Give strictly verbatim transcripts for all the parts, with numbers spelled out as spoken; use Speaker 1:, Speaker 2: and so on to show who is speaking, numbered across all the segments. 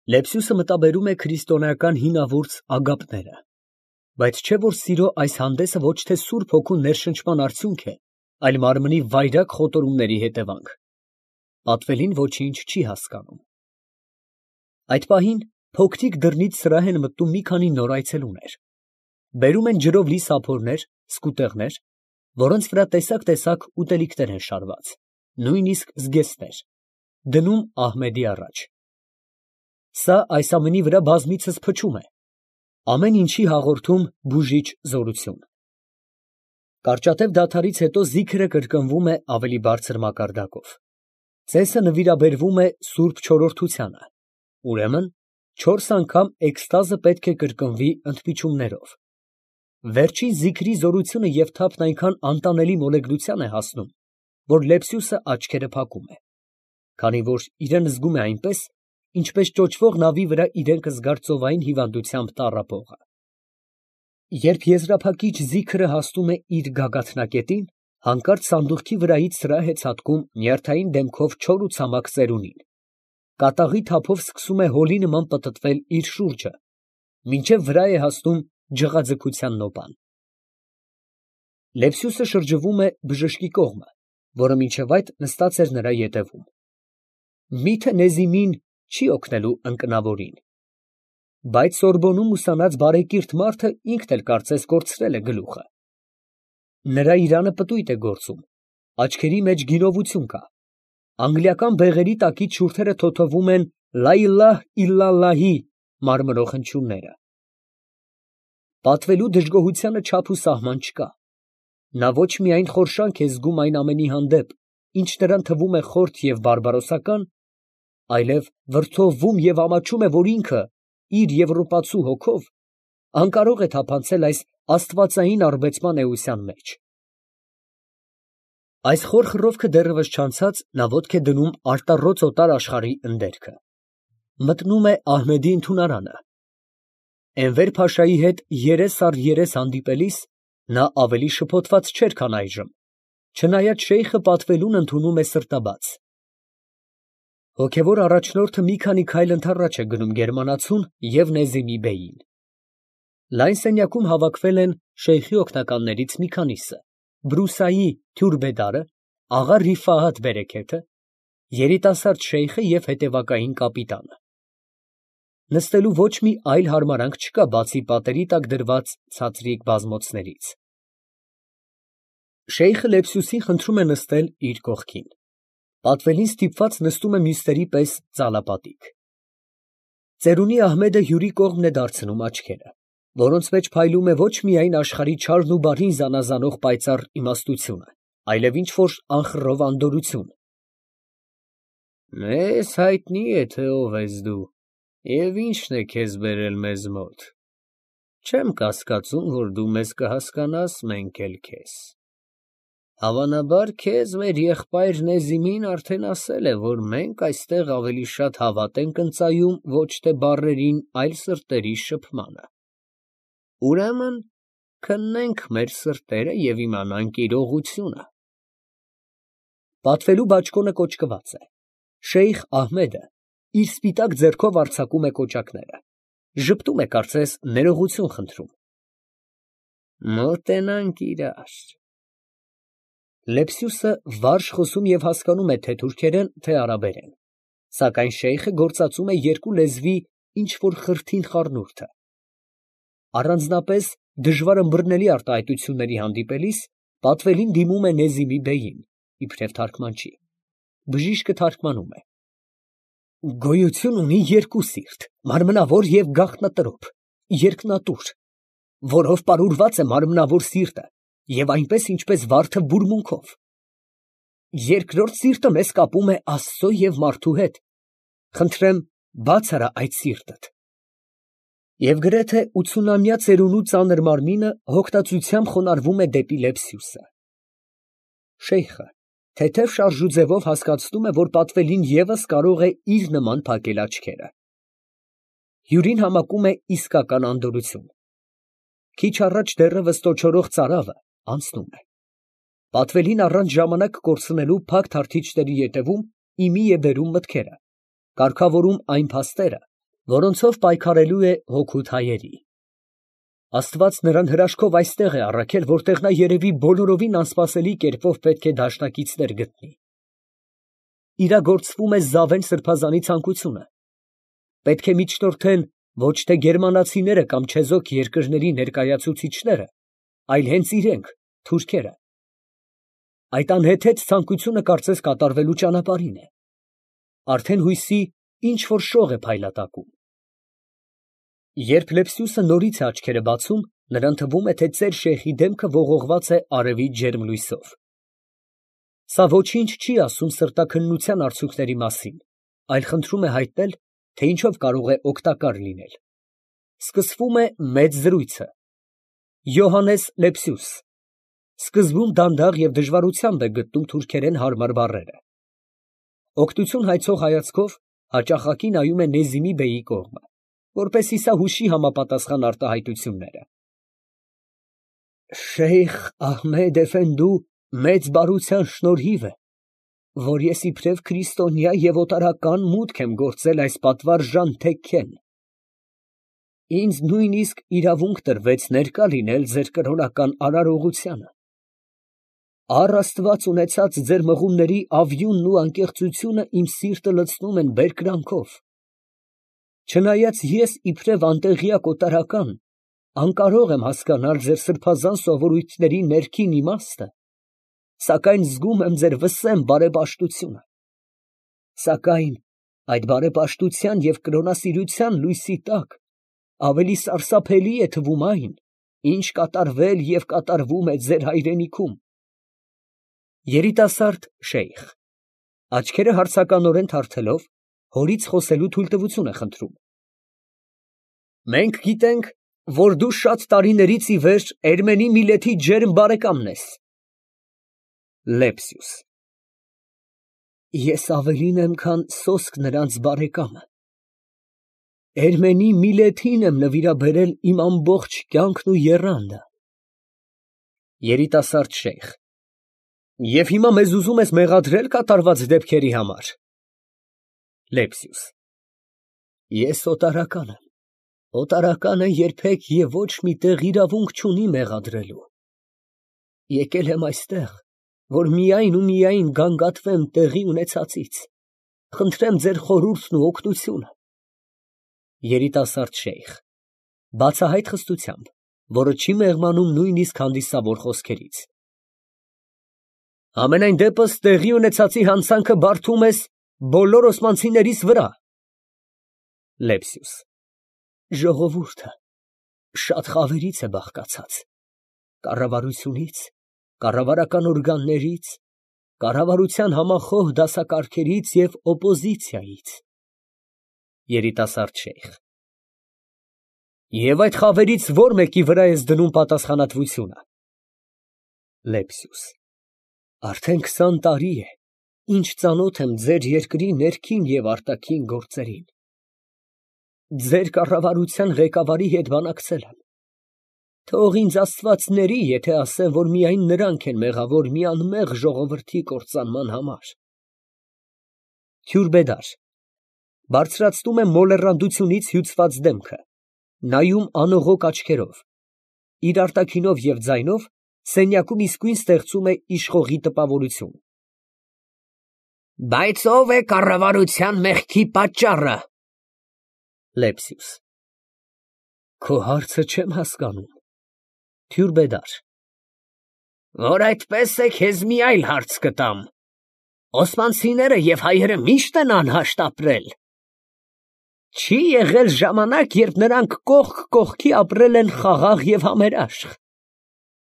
Speaker 1: Լեպսյուսը մտաբերում է քրիստոնեական հինավուրց ագապները, բայց չէ՞ որ սիրո այս հանդեսը ոչ թե Սուրբ Հոգու ներշնչման արդյունք է, այլ մարմնի վայրագ խոտորումների հետևանք։ Պատվելին ոչինչ չի հասկանում։ Այդ պահին փոքրիկ դռնից սրահ են մտնում մի քանի նոր այցելուներ։ Բերում են ջրով լի սափորներ, սկուտեղներ, որոնց վրա տեսակ֊տեսակ ուտելիքներ են շարված, նույնիսկ զգեստներ, դնում Ահմեդի առաջ։ Սա այս ամենի վրա բազմիցս փչում է, ամեն ինչի հաղորդում բուժիչ զորություն։ Կարճատև դադարից հետո զիքրը կրկնվում է ավելի բարձր մակարդակով։ Ծեսը նվիրաբերվում է Սուրբ Չորրորդությանը, ուրեմն չորս անգամ էքստազը պետք է կրկնվի ընդմիջումներով։ Վերջին զիքրի զորությունը և թափն այնքան անտանելի մոլեգնության է հասնում, որ Լեպսյուսը աչքերը փակում է, քանի որ իրան զգում է այնպես, ինչպես ճոճվող նավի վրա իրեն կզգար ծովային հիվանդությամբ տառապողը։ Երբ եզրափակիչ զիքրը հասնում է իր գագաթնակետին, հանկարծ սանդուղքի վրայից սրահ է ցատկում նյարդային դեմքով չոր ու ցամաք ծերունին, կատաղի թափով սկսում է հոլի նման պտտվել իր շուրջը, մինչև վրա է հասնում ջղաձգության նոպան։ Լեպսյուսը շրջվում է բժշկի կողմը, որը մինչև այդ նստած էր նրա ետևում։ Մի՞թե Նեզիմին չի օգնելու ընկնավորին։ Բայց Սորբոնում ուսանած բարեկիրթ մարդը ինքն էլ կարծես կորցրել է գլուխը։ Նրա իրանը պտույտ է գործում, աչքերի մեջ գինովություն կա, անգլիական բեղերի տակից շուրթերը թոթվում են «Լա իլահ իլլալլահի» մարմնող հնչյունները։ Պատվելու դժգոհությանը չափ ու սահման չկա։ Նա ոչ միայն խորշանք է զգում այն ամենի հանդեպ, ինչ նրան թվում է խորթ և բարբարոսական, այլև վրդովվում և ամաչում է, որ ինքը, իր եվրոպացու հոգով, անկարող է թափանցել այս աստվածային առբեցման էության մեջ։ Այս խոր խռովքը դեռևս չանցած, նա ոտք է դնում արտառոց օտար աշխարհի ընդերքը։ Մտնում է Ահմեդի ընդունարանը։ Էնվեր֊փաշայի հետ երես առ երես հանդիպելիս նա ավելի շփոթված չէր, քան այժմ, չնայած շեյխը պատվելուն ընդունում է սրտաբաց։ Հոգևոր առաջնորդը մի քանի քայլ ընդառաջ է գնում գերմանացուն և Նեզիմի բեյին։ Լայն սենյակում հավաքվել են շեյխի օգնականներից մի քանիսը, Բրուսայի թյուրբեդարը, աղա Ռիֆահաթ բերեքեթը, երիտասարդ շեյխը և հետևակային կապիտանը։ Նստելու ոչ մի այլ հարմարանք չկա, բացի պատերի տակ դրված ցածրիկ բազմոցներից։ Շեյխը Լեպսյուսին խնդրում է նստել իր կողքին։ Պատվելին ստիպված նստում է մյուսների պես ծալապատիկ։ Ծերունի Ահմեդը հյուրի կողմն է դարձնում աչքերը, որոնց մեջ փայլում է ոչ միայն աշխարհի չարն ու բարին զանազանող պայծառ իմաստությունը, այլև ինչ֊որ անխռով անդորրություն։ Մեզ հայտնի է, թե ով ես դու և ինչն է քեզ բերել մեզ մոտ։ Չեմ կասկածում, որ դու մեզ կհասկանաս, մենք էլ քեզ։ Հավանաբար քեզ մեր եղբայր Նեզիմին արդեն ասել է, որ մենք այստեղ ավելի շատ հավատ ենք ընծայում ոչ թե բառերին, այլ սրտերի շփմանը։ Ուրեմն քննենք մեր սրտերը և իմանանք իրողությունը։ Պատվելու բաճկոնը կոճկված է։ Շեյխ Ահմեդը իր սպիտակ ձեռքով արձակում է կոճակները, ժպտում է, կարծես ներողություն խնդրում։ Մոտենանք իրար։ Լեպսյուսը վարժ խոսում և հասկանում է թե՛ թուրքերեն, թե՛ արաբերեն, սակայն շեյխը գործածում է երկու լեզվի ինչ֊որ խրթին խառնուրդը։ Առանձնապես դժվար ըմբռնելի արտահայտությունների հանդիպելիս պատվելին դիմում է Նեզիմի բեյին, իբրև թարգմանչի։ Բժիշկը թարգմանում է. Գոյություն ունի երկու սիրտ, մարմնավոր և գաղտնատրոփ, երկնատուր, որով պարուրված է մարմնավոր սիրտը և այնպես, ինչպես վարդը բուրմունքով։ Երկրորդ սիրտը մեզ կապում է Աստծո և մարդու հետ, խնդրեմ բաց արա այդ սիրտդ։ Եվ գրեթե ութսունամյա ծերունու ծանր մարմինը հոգնածությամբ խոնարհվում է դեպի Լեպսյուսը։ Շեյխը թեթև շարժուձևով հասկացնում է, որ պատվելին ևս կարող է իր նման փակել աչքերը։ Հյուրին համակում է իսկական անդորրություն։ Քիչ առաջ դեռևս տոչորող ծարավը անցնում է։ Պատվելին առանց ժամանակ կորցնելու փակ թարթիչների ետևում ի մի է բերում մտքերը, կարգավորում այն փաստերը, որոնցով պայքարելու է հօգուտ հայերի։ Աստված նրան հրաշքով այստեղ է առաքել, որտեղ նա երևի բոլորովին անսպասելի կերպով պետք է դաշնակիցներ գտնի։ Իրագործվում է Զավեն սրբազանի ցանկությունը։ Պետք է միջնորդեն ոչ թե գերմանացիները կամ չեզոք երկրների ներկայացուցիչները, այլ հենց իրենք, թուրքերը։ Այդ անհեթեթ ցանկությունը կարծես կատարվելու ճանապարհին է։ Արդեն հույսի ինչ որ շող է փայլատակում։ Երբ Լեպսիուսը նորից է աչքերը բացում, նրան թվում է, թե ծեր շեյխի դեմքը ողողված է արևի ջերմ լույսով։ Սա ոչինչ չի ասում սրտաքննության արդյունքների մասին, այլ խնդրում է հայտնել, թե ինչով կարող է օգտակար լինել։ Սկսվում է մեծ զրույցը։ Յոհաննես Լեպսիուս սկզբում դանդաղ և դժվարությամբ է գտնում թուրքերեն հարմար բառերը։ Օգնություն հայցող հայացքով հաճախակի նայում է Նեզիմի բեյի կողմը, որպեսզի սա հուշի համապատասխան արտահայտությունները։ Շեյխ Ահմեդ էֆենդու մեծ բարության շնորհիվ է, որ ես իբրև քրիստոնյա և օտարական մուտք եմ գործել այս պատվարժան թեքքեն։ Ինձ նույնիսկ իրավունք տրվեց ներկա լինել ձեր կրոնական արարողությանը։ Առ Աստված ունեցած ձեր մղումների ավյունն ու անկեղծությունը իմ սիրտը լցնում են բերկրանքով։ Չնայած ես իբրև անտեղյակ օտարական անկարող եմ հասկանալ ձեր սրբազան սովորույթների ներքին իմաստը, սակայն զգում եմ ձեր վսեմ բարեպաշտությունը։ Սակայն այդ բարեպաշտության և կրոնասիրության լույսի տակ ավելի սարսափելի է թվում այն, ինչ կատարվել և կատարվում է ձեր հայրենիքում։ Երիտասարդ շեյխ աչքերը հարցականորեն թարթելով, հորից խոսելու թույլտվություն է խնդրում։ Մենք գիտենք, որ դու շատ տարիներից ի վեր Էրմենի միլեթի ջերմ բարեկամն ես։ Լեպսիուս Ես ավելին եմ, քան սոսկ նրանց բարեկամը։ Էրմենի միլեթին եմ նվիրաբերել իմ ամբողջ կյանքն ու եռանդը։ Երիտասարդ շեյխ Եվ հիմա մեզ ուզում ես մեղադրել կատարված դեպքերի համար։ Լեպսիուս Ես օտարական եմ։ Օտարականը երբեք և ոչ մի տեղ իրավունք չունի մեղադրելու։ Եկել եմ այստեղ, որ միայն ու միայն գանգատվեմ տեղի ունեցածից, խնդրեմ ձեր խորհուրդն ու օգնությունը։ Երիտասարդ շեյխ բացահայտ խստությամբ, որը չի մեղմանում նույնիսկ հանդիսավոր խոսքերից։ Համենայն դեպս տեղի ունեցածի հանցանքը բարդում ես բոլոր օսմանցիներիս վրա։ Լեպսիուս Ժողովուրդը շատ խավերից է բաղկացած, կառավարությունից, կառավարական օրգաններից, կառավարության համախոհ դասակարգերից և օպոզիցիայից։ Երիտասարդ շեյխ Եվ այդ խավերից ո՞ր մեկի վրա ես դնում պատասխանատվությունը։ Լեպսիուս Արդեն քսան տարի է, ինչ ծանոթ եմ ձեր երկրի ներքին և արտաքին գործերին։ Ձեր կառավարության ղեկավարի հետ բանակցել եմ։ Թող ինձ Աստված ների, եթե ասեմ, որ միայն նրանք են մեղավոր մի անմեղ ժողովրդի կործանման համար։ Քյուրբեդար բարձրացնում է մոլեռանդությունից հյուծված դեմքը, նայում անողոք աչքերով, իր արտաքինով և ձայնով սենյակում իսկույն ստեղծում է իշխողի տպավորություն։ Բայց ո՞վ է կառավարության մեղքի պատճառը։ Լեպսիուս Քո հարցը չեմ հասկանում։ Քյուրբեդար Որ այդպես է, քեզ մի այլ հարց կտամ։ Օսմանցիները և հայերը միշտ են անհաշտ ապրել։ Չի եղել ժամանակ, երբ նրանք կողք կողքի ապրել են խաղաղ և համերաշխ։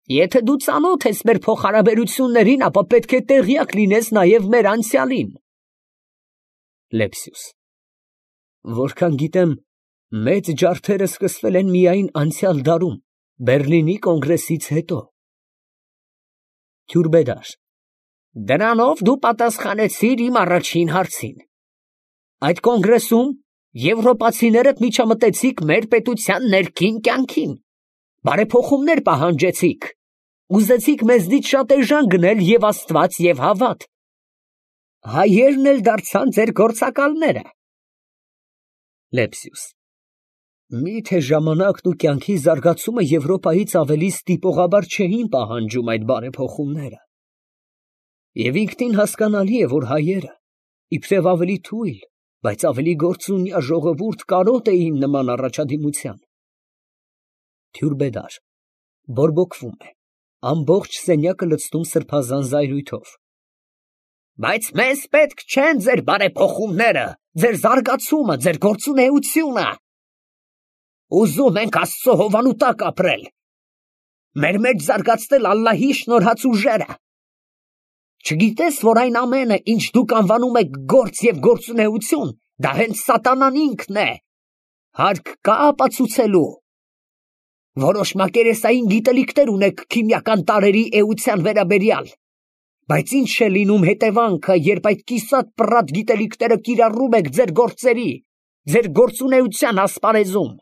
Speaker 1: Եթե դու ծանոթ ես մեր փոխհարաբերություններին, ապա պետք է տեղյակ լինես նաև մեր անցյալին։ Լեպսիուս Որքան գիտեմ, մեծ ջարդերը սկսվել են միայն անցյալ դարում, Բեռլինի կոնգրեսից հետո։ Քյուրբեդար Դրանով դու պատասխանեցիր իմ առաջին հարցին։ Այդ կոնգրեսում եվրոպացիներդ միջամտեցիք մեր պետության ներքին կյանքին, բարեփոխումներ պահանջեցիք, ուզեցիք մեզնից շատ էժան գնել և Աստված և հավատ։ Հայերն էլ դարձան ձեր գործակալները։ Լեպսիուս Մի՞թե ժամանակն ու կյանքի զարգացումը Եվրոպայից ավելի ստիպողաբար չէին պահանջում այդ բարեփոխումները։ Եվ ինքնին հասկանալի է, որ հայերը, իբրև ավելի թույլ, բայց ավելի գործունյա ժողովուրդ կարոտ էին նման առաջադիմության։ Թյուրբեդար բորբոքվում է, ամբողջ սենյակը լցնում սրբազան զայրույթով։ Բայց մեզ պետք չեն ձեր բարեփոխումները, ձեր զարգացումը, ձեր գործունեությունը։ Ուզում ենք Աստծո հովանու տակ ապրել, մեր մեջ զարգացնել Ալլահի շնորհած ուժերը։ Չգիտես, որ այն ամենը, ինչ դուք անվանում եք գործ և գործունեություն, դա հենց սատանան ինքն է։ Հարկ կա ապացուցելու։ Որոշ մակերեսային գիտելիքներ ունեք քիմիական տարրերի էության վերաբերյալ, բայց ինչ է լինում հետևանքը, երբ այդ կիսատ պռատ գիտելիքները կիրառում եք ձեր գործերի, ձեր գործունեության ասպարեզում։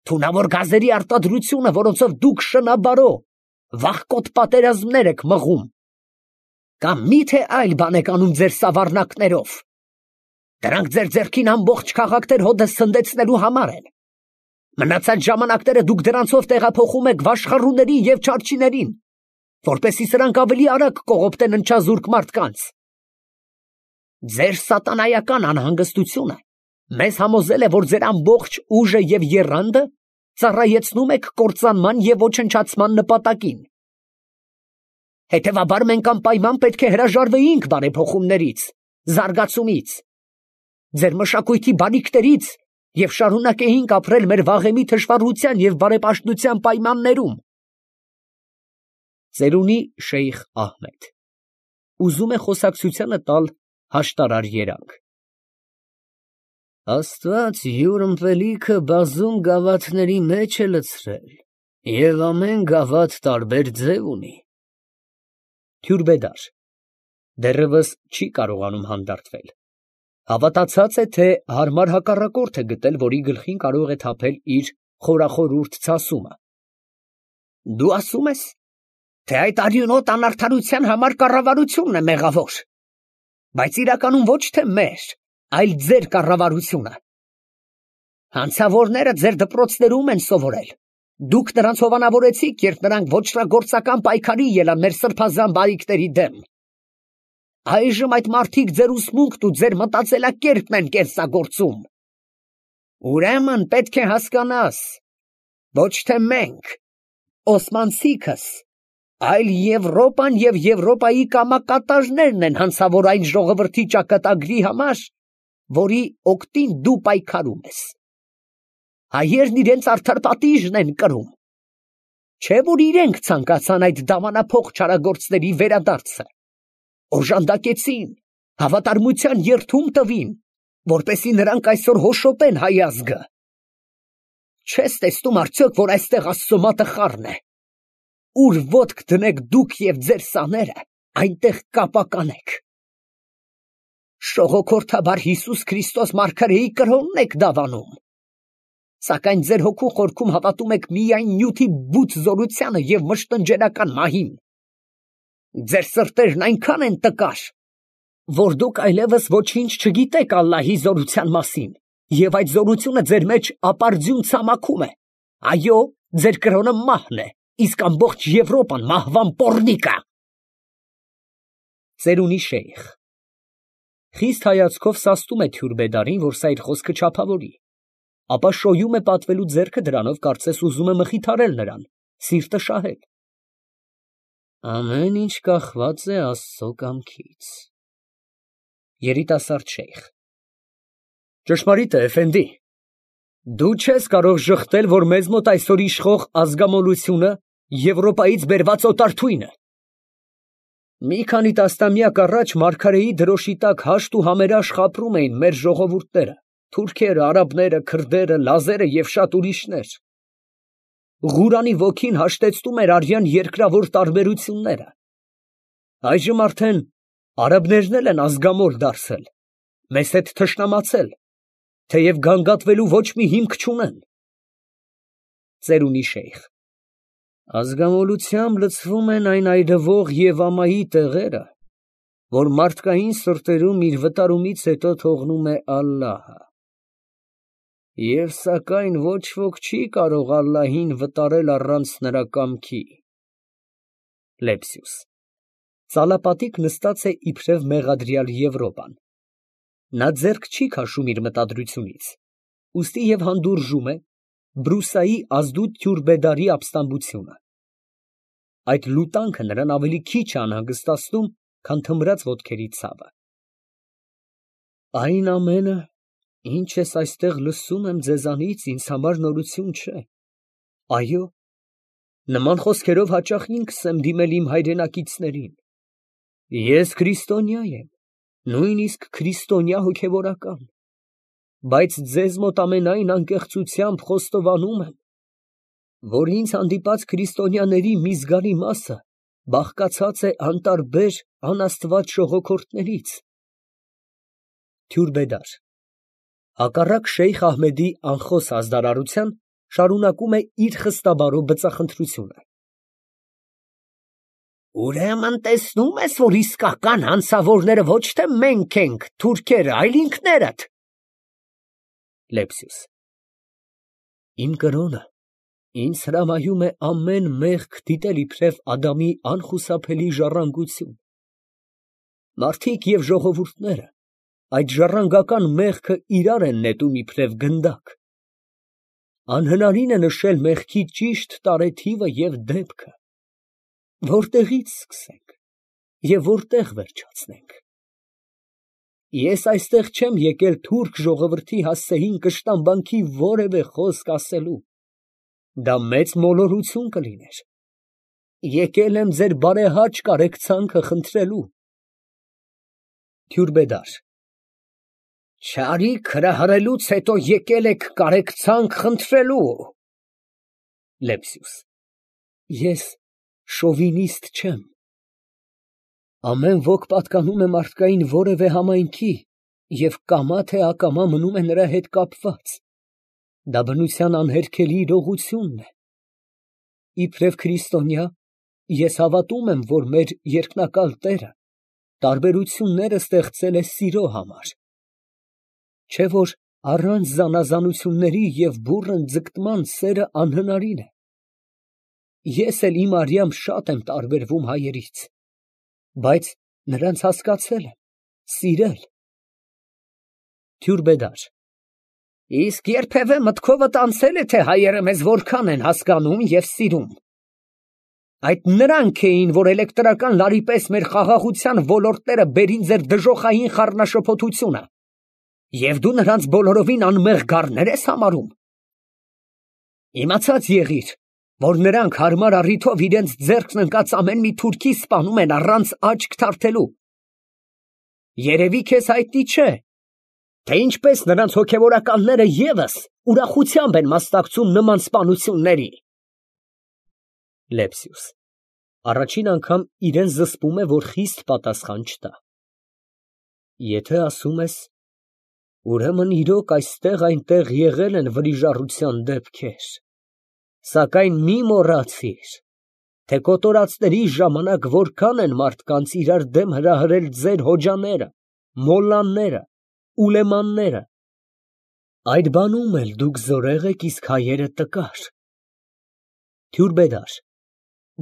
Speaker 1: Թունավոր գազերի արտադրությունը, որոնցով դուք շնաբարո, վախկոտ պատերազմներ եք մղում, կամ մի՞թե այլ բան եք անում ձեր սավառնակներով։ Դրանք ձեր ձեռքին ամբողջ քաղաքներ հոդը սնդեցնելու համար են։ Մնացած ժամանակները դուք դրանցով տեղափոխում եք վաշխառուներին և չարչիներին, որպեսզի սրանք ավելի արագ կողոպտեն ընչազուրկ մարդկանց։ Ձեր սատանայական անհանգստությունը մեզ համոզել է, որ ձեր ամբողջ ուժը և եռանդը ծառայեցնում եք կործանման և ոչնչացման նպատակին։ Հետևաբար մենք անպայման պետք է հրաժարվեինք բարեփոխումներից, զարգացումից, ձեր մշակույթի բարիքներից և շարունակեինք ապրել մեր վաղեմի թշվառության և բարեպաշտության պայմաններում։ Ծերունի Շեյխ Ահմեդ ուզում է խոսակցությանը տալ հաշտարար երանգ։ Աստված յուր ըմպելիքը բազում գավաթների մեջ է լցրել, և ամեն գավաթ տարբեր ձև ունի։ Թյուրբեդար դեռևս չի կարողանում հանդարտվել։ Հավատացած է, թե հարմար հակառակորդ է գտել, որի գլխին կարող է թափել իր խորախորուրդ ցասումը։ Դու ասում ես, թե այդ արյունոտ անարդարության համար կառավարությունն է մեղավոր, բայց իրականում ոչ թե մեր, այլ ձեր կառավարությունը։ Հանցավորները ձեր դպրոցներում են սովորել, դուք նրանց հովանավորեցիք, երբ նրանք ոճրագործական պայքարի ելան մեր սրբազան բարիքների դեմ։ Այժմ այդ մարդիկ ձեր ուսմունքն ու ձեր մտածելակերպն են կեղծագործում։ Ուրեմն պետք է հասկանաս, ոչ թե մենք, օսմանցիքս, այլ Եվրոպան և Եվրոպայի կամակատաժներն են հանցավոր այն ժողովրդի ճակատագրի համար, որի օգտին դու պայքարում ես։ Հայերն իրենց արդար պատիժն են կրում, չէ՞ որ իրենք ցանկացան այդ դավանափոխ չարագործների վերադարձը, օժանդակեցին, հավատարմության երդում տվին, որպեսզի նրանք այսօր հոշոտեն հայ ազգը։ Չես տեսնում արդյոք, որ այստեղ Աստծո մատը խառն է։ Ուր ոտք դնեք դուք և ձեր սաները, այնտեղ կապականեք։ Շողոքորթաբար Հիսուս Քրիստոս մարգարեի կրոնն եք դավանում, սակայն ձեր հոգու խորքում հավատում եք միայն նյութի բութ զորությանը և մշտնջենական մահին։ Ձեր սրտերն այնքան են տկար, որ դուք այլևս ոչինչ չգիտեք Ալլահի զորության մասին, և այդ զորությունը ձեր մեջ ապարդյուն ցամաքում է։ Այո, ձեր կրոնը մահն է, իսկ ամբողջ Եվրոպան մահվան պոռնիկ է։ Ծերունի Շեյխ խիստ հայացքով սաստում է Թյուրբեդարին, որ սա իր խոսքը չափավորի, ապա շոյում է պատվելու ձեռքը դրանով, կարծես ուզում է մխիթարել նրան, սիրտը շահել։ Ամեն ինչ կախված է Աստծո կամքից։ Երիտասարդ շեյխ ճշմարիտ է, էֆենդի, դու չես կարող ժխտել, որ մեզ մոտ այսօր իշխող ազգամոլությունը Եվրոպայից բերված օտար թույն է։ Մի քանի տասնամյակ առաջ մարգարեի դրոշի տակ հաշտ ու համերաշխ ապրում էին մեր ժողովուրդները, թուրքերը, արաբները, քրդերը, լազերը և շատ ուրիշներ։ Ղուրանի ոգին հաշտեցնում էր արյան երկրավոր տարբերությունները։ Այժմ արդեն արաբներն էլ են ազգամոլ դարձել, մեզ հետ թշնամացել, թեև գանգատվելու ոչ մի հիմք չունեն։ Ծերունի Շեյխ ազգամոլությամբ լցվում են այն այրվող և ամայի տեղերը, որ մարդկային սրտերում իր վտարումից հետո թողնում է Ալլահը։ Եվ սակայն ոչ ոք չի կարող Ալլահին վտարել առանց նրա կամքի։ Լեպսիուս Ծալապատիկ նստած է իբրև մեղադրյալ Եվրոպան։ Նա ձեռք չի քաշում իր մտադրությունից, ուստի և հանդուրժում է Բրուսայի ազդու Թյուրբեդարի ապստամբությունը։ Այդ լուտանքը նրան ավելի քիչ է անհանգստացնում, քան թմրած ոտքերի ցավը։ Այն ամենը, ինչ ես այստեղ լսում եմ ձեզանից, ինձ համար նորություն չէ։ Այո, նման խոսքերով հաճախ ինքս եմ դիմել իմ հայրենակիցներին։ Ես քրիստոնյա եմ, նույնիսկ քրիստոնյա հոգևորական, բայց ձեզ մոտ ամենայն անկեղծությամբ խոստովանում եմ, որ ինձ հանդիպած քրիստոնյաների մի զգալի մասը բաղկացած է անտարբեր, անաստված ժողոքորթներից։ Թյուրբեդար հակառակ Շեյխ Ահմեդի անխոս ազդարարության, շարունակում է իր խստաբարով բծախնդրությունը։ Ուրեմն տեսնում ես, որ իսկական հանցավորները ոչ թե մենք ենք, թուրքերը, այլ ինքներդ։ Լեպսիուս Իմ կրոնը ինձ հրամայում է ամեն մեղք դիտել իբրև Ադամի անխուսափելի ժառանգություն։ Մարդիկ և ժողովուրդները այդ ժառանգական մեղքը իրար են նետում իբրև գնդակ։ Անհնարին է նշել մեղքի ճիշտ տարեթիվը և դեպքը։ Որտեղից սկսենք և որտեղ վերջացնենք։ Ես այստեղ չեմ եկել թուրք ժողովրդի հասցեին կշտամբանքի որևէ խոսք ասելու, դա մեծ մոլորություն կլիներ։ Եկել եմ ձեր բարեհաճ կարեկցանքը խնդրելու։ Թյուրբեդար Չարիք հրահրելուց հետո եկել եք կարեկցանք խնդրելու։ Լեպսիուս Ես շովինիստ չեմ։ Ամեն ոք պատկանում է մարդկային որևէ համայնքի և կամա թե ակամա մնում է նրա հետ կապված։ Դա բնության անհերքելի իրողությունն է։ Իբրև քրիստոնյա, ես հավատում եմ, որ մեր երկնակալ Տերը տարբերությունները ստեղծել է սիրո համար։ Չէ՞ որ առանց զանազանությունների և բուռն ձգտման սերը անհնարին է։ Ես էլ իմ արյամբ շատ եմ տարբերվում հայերից, բայց նրանց հասկացել եմ, սիրել։ Թյուրբեդար Իսկ երբևէ մտքովդ անցե՞լ է, թե հայերը մեզ որքան են հասկանում և սիրում։ Այդ նրանք էին, որ էլեկտրական լարի պես մեր խաղաղության ոլորտները բերին ձեր դժոխային խառնաշփոթությունը, և դու նրանց բոլորովին անմեղ գառներ ես համարում։ Իմացած եղիր, որ նրանք հարմար առիթով իրենց ձեռքն ընկած ամեն մի թուրքի սպանում են առանց աչք թարթելու։ Երևի քեզ հայտնի չէ, թե ինչպես նրանց հոգևորականները ևս ուրախությամբ են մասնակցում նման սպանությունների։ Լեպսիուս առաջին անգամ իրան զսպում է, որ խիստ պատասխան չտա։ Եթե ասում ես, ուրեմն իրոք այստեղ֊այնտեղ եղել են վրիժառության դեպքեր, սակայն մի մոռացիր, թե կոտորածների ժամանակ որքան են մարդկանց իրար դեմ հրահրել ձեր հոջաները, մոլլաները, ուլեմանները։ Այդ բանում էլ դուք զորեղ եք, իսկ հայերը տկար։ Թյուրբեդար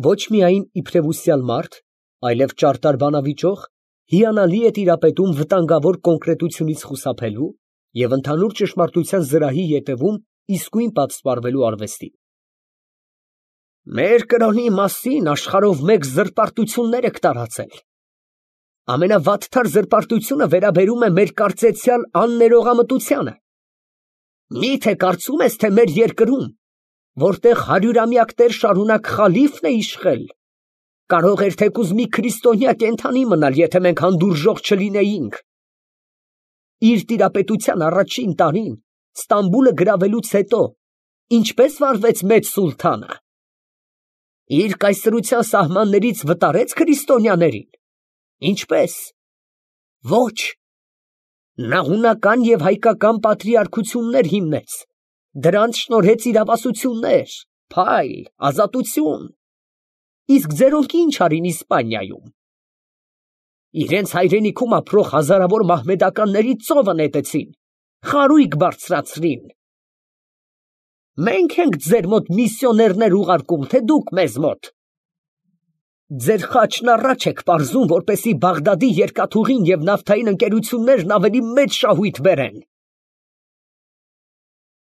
Speaker 1: ոչ միայն իբրև ուսյալ մարդ, այլև ճարտար բանավիճող, հիանալի է տիրապետում վտանգավոր կոնկրետությունից խուսափելու և ընդհանուր ճշմարտության զրահի ետևում իսկույն պատսպարվելու արվեստին։ Մեր կրոնի մասին աշխարհով մեկ զրպարտություններ եք տարածել։ Ամենավատթար զրպարտությունը վերաբերում է մեր կարծեցյալ աններողամտությանը։ Մի՞թե կարծում ես, թե մեր երկրում, որտեղ հարյուրամյակներ շարունակ խալիֆն է իշխել, կարող էր թեկուզ մի քրիստոնյա կենդանի մնալ, եթե մենք հանդուրժող չլինեինք։ Իր տիրապետության առաջին տարին Ստամբուլը գրավելուց հետո ինչպես վարվեց մեծ սուլթանը։ Իր կայսրության սահմաններից վտարեց քրիստոնյաներին։ Ինչպես։ Ոչ։ Նա հունական և հայկական պատրիարքություններ հիմնեց, դրանց շնորհեց իրավասություններ, փայլ, ազատություն։ Իսկ ձերոնք ինչ արին Իսպանիայում։ Իրենց հայրենիքում ապրող հազարավոր մահմեդականների ծովը նետեցին, խարույկ բարձրացրին, Մենք ենք ձեր մոտ միսիոներներ ուղարկում, թե դուք մեզ մոտ։ Ձեր խաչն առաջ եք պարզում, որպեսզի Բաղդադի երկաթուղին և նավթային ընկերություններն ավելի մեծ շահույթ բերեն։